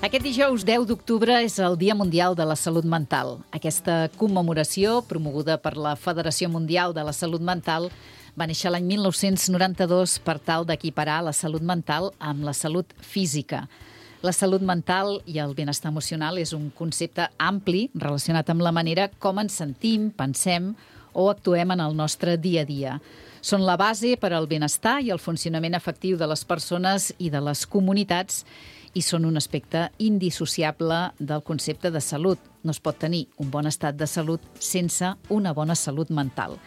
Aquest dijous 10 d'octubre és el Dia Mundial de la Salut Mental. Aquesta commemoració, promoguda per la Federació Mundial de la Salut Mental, va néixer l'any 1992 per tal d'equiparar la salut mental amb la salut física. La salut mental i el benestar emocional és un concepte ampli relacionat amb la manera com ens sentim, pensem o actuem en el nostre dia a dia. Són la base per al benestar i el funcionament efectiu de les persones i de les comunitats i són un aspecte indissociable del concepte de salut. No es pot tenir un bon estat de salut sense una bona salut mental.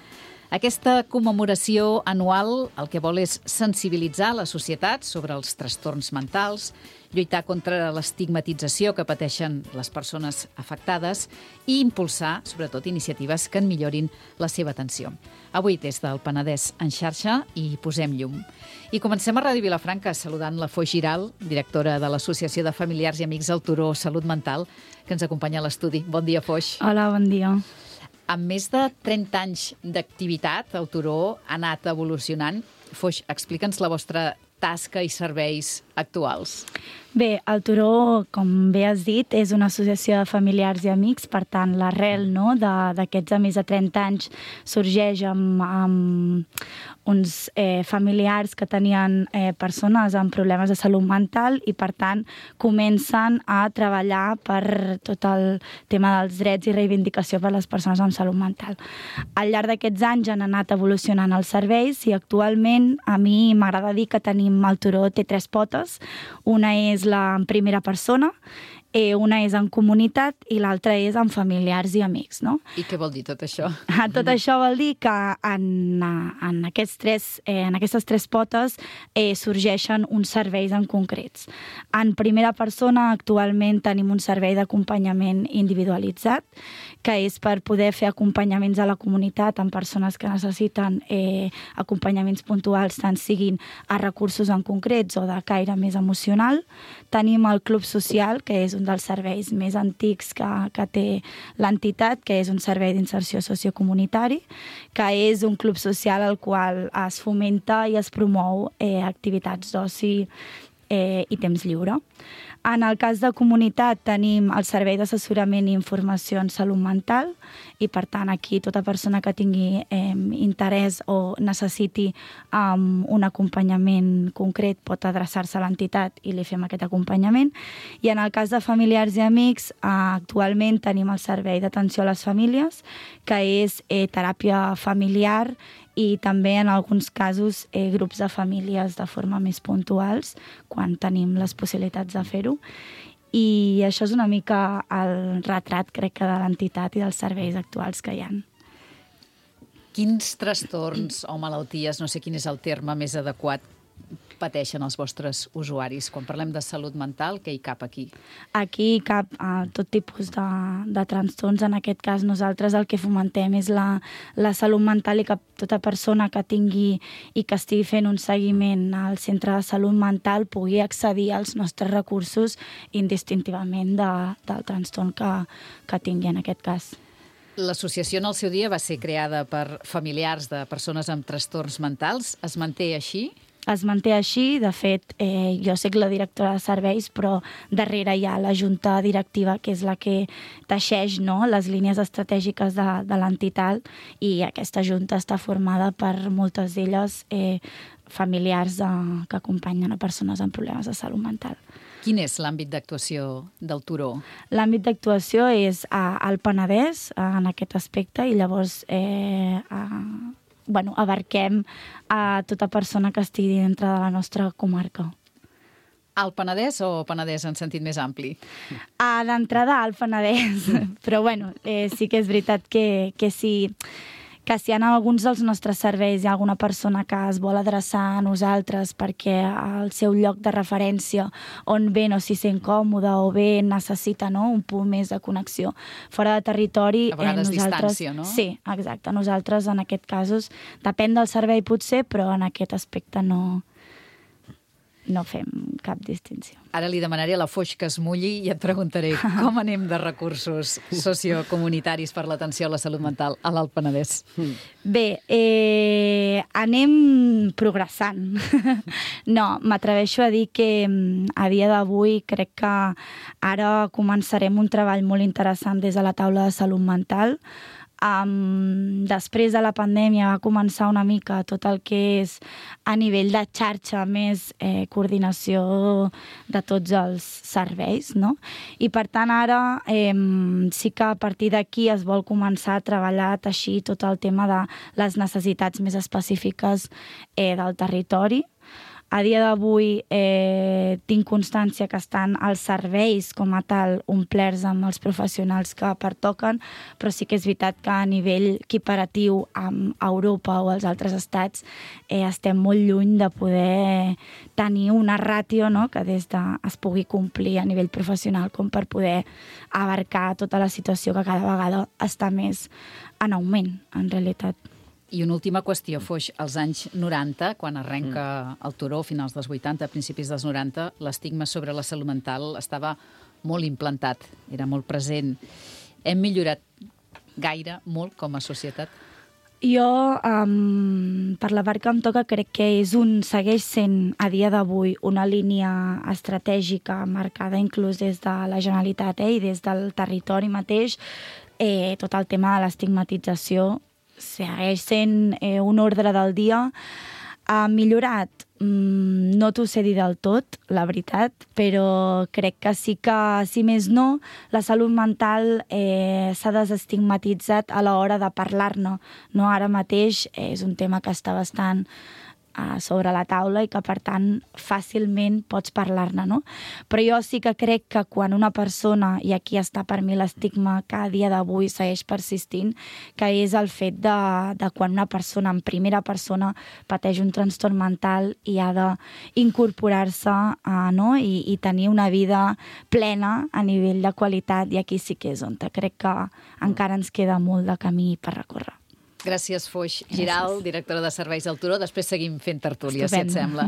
Aquesta commemoració anual el que vol és sensibilitzar la societat sobre els trastorns mentals, lluitar contra l'estigmatització que pateixen les persones afectades i impulsar, sobretot, iniciatives que en millorin la seva atenció. Avui, des del Penedès en xarxa, hi posem llum. I comencem a Ràdio Vilafranca saludant la Foix Giral, directora de l'Associació de Familiars i Amics del Turó Salut Mental, que ens acompanya a l'estudi. Bon dia, Foix. Hola, bon dia. Amb més de 30 anys d'activitat, el Turó ha anat evolucionant. Foix, explica'ns la vostra tasca i serveis actuals. Bé, el Turó, com bé has dit, és una associació de familiars i amics, per tant, l'arrel d'aquests de més de 30 anys sorgeix amb uns familiars que tenien persones amb problemes de salut mental i, per tant, comencen a treballar per tot el tema dels drets i reivindicació per a les persones amb salut mental. Al llarg d'aquests anys han anat evolucionant els serveis i actualment a mi m'agrada dir que el Turó té 3 potes. Una és la en primera persona, una és en comunitat i l'altra és en familiars i amics, no? I què vol dir tot això? Tot això vol dir que en aquestes 3 potes sorgeixen uns serveis en concrets. En primera persona actualment tenim un servei d'acompanyament individualitzat, que és per poder fer acompanyaments a la comunitat amb persones que necessiten acompanyaments puntuals, tant siguin a recursos en concrets o de caire més emocional. Tenim el Club Social, que és un dels serveis més antics que té l'entitat, que és un servei d'inserció sociocomunitari, que és un club social al qual es fomenta i es promou activitats d'oci i temps lliure. En el cas de comunitat tenim el servei d'assessorament i informació en salut mental i, per tant, aquí tota persona que tingui interès o necessiti un acompanyament concret pot adreçar-se a l'entitat i li fem aquest acompanyament. I en el cas de familiars i amics, actualment tenim el servei d'atenció a les famílies, que és teràpia familiar i també, en alguns casos, grups de famílies de forma més puntuals, quan tenim les possibilitats de fer-ho. I això és una mica el retrat, crec que, de l'entitat i dels serveis actuals que hi ha. Quins trastorns o malalties, no sé quin és el terme més adequat, pateixen els vostres usuaris? Quan parlem de salut mental, què hi cap aquí? Aquí hi cap tot tipus de trastorns. En aquest cas, nosaltres el que fomentem és la salut mental i que tota persona que tingui i que estigui fent un seguiment al centre de salut mental pugui accedir als nostres recursos indistintivament del trastorn que tingui en aquest cas. L'associació en el seu dia va ser creada per familiars de persones amb trastorns mentals. Es manté així? Es manté així. De fet, jo soc la directora de serveis, però darrere hi ha la junta directiva, que és la que teixeix les línies estratègiques de l'entitat, i aquesta junta està formada per moltes d'elles familiars que acompanyen a persones amb problemes de salut mental. Quin és l'àmbit d'actuació del Turó? L'àmbit d'actuació és al Penedès, en aquest aspecte, i llavors abarquem a tota persona que estigui dintre de la nostra comarca. Al Penedès o Penedès en sentit més ampli? D'entrada al Penedès, però sí que és veritat que si en alguns dels nostres serveis hi ha alguna persona que es vol adreçar a nosaltres perquè el seu lloc de referència on ve no s'hi sent còmode o bé necessita un punt més de connexió fora de territori... A vegades distància, no? Sí, exacte. Nosaltres, en aquest casos, depèn del servei potser, però en aquest aspecte no. no fem cap distinció. Ara li demanaré a la Foix que es mulli i et preguntaré com anem de recursos sociocomunitaris per l'atenció a la salut mental a l'Alt Penedès. Bé, anem progressant. No, m'atreveixo a dir que a dia d'avui crec que ara començarem un treball molt interessant des de la taula de salut mental. Després de la pandèmia va començar una mica tot el que és a nivell de xarxa, més coordinació de tots els serveis, no? I per tant ara sí que a partir d'aquí es vol començar a treballar, a teixir tot el tema de les necessitats més específiques del territori. A dia d'avui tinc constància que estan els serveis com a tal omplerts amb els professionals que pertoquen, però sí que és veritat que a nivell equiparatiu amb Europa o els altres estats estem molt lluny de poder tenir una ràtio, no?, que des de es pugui complir a nivell professional com per poder abarcar tota la situació que cada vegada està més en augment, en realitat. I una última qüestió, Foix. Als anys 90, quan arrenca el Turó, finals dels 80, principis dels 90, l'estigma sobre la salut mental estava molt implantat, era molt present. Hem millorat gaire, molt, com a societat? Jo, per la part que em toca, crec que segueix sent, a dia d'avui, una línia estratègica marcada inclús des de la Generalitat i des del territori mateix. Tot el tema de l'estigmatització segueix sent un ordre del dia. Ha millorat? No t'ho sé dir del tot, la veritat, però crec que sí que, si més no, la salut mental s'ha desestigmatitzat a l'hora de parlar-ne. No? Ara mateix és un tema que està bastant sobre la taula i que, per tant, fàcilment pots parlar-ne, no? Però jo sí que crec que quan una persona, i aquí està per mi l'estigma que a dia d'avui segueix persistint, que és el fet de quan una persona en primera persona pateix un trastorn mental i ha d'incorporar-se i tenir una vida plena a nivell de qualitat, i aquí sí que és on crec que encara ens queda molt de camí per recórrer. Gràcies, Foix Giral, directora de Serveis del Turó. Després seguim fent tertúlia, si et sembla.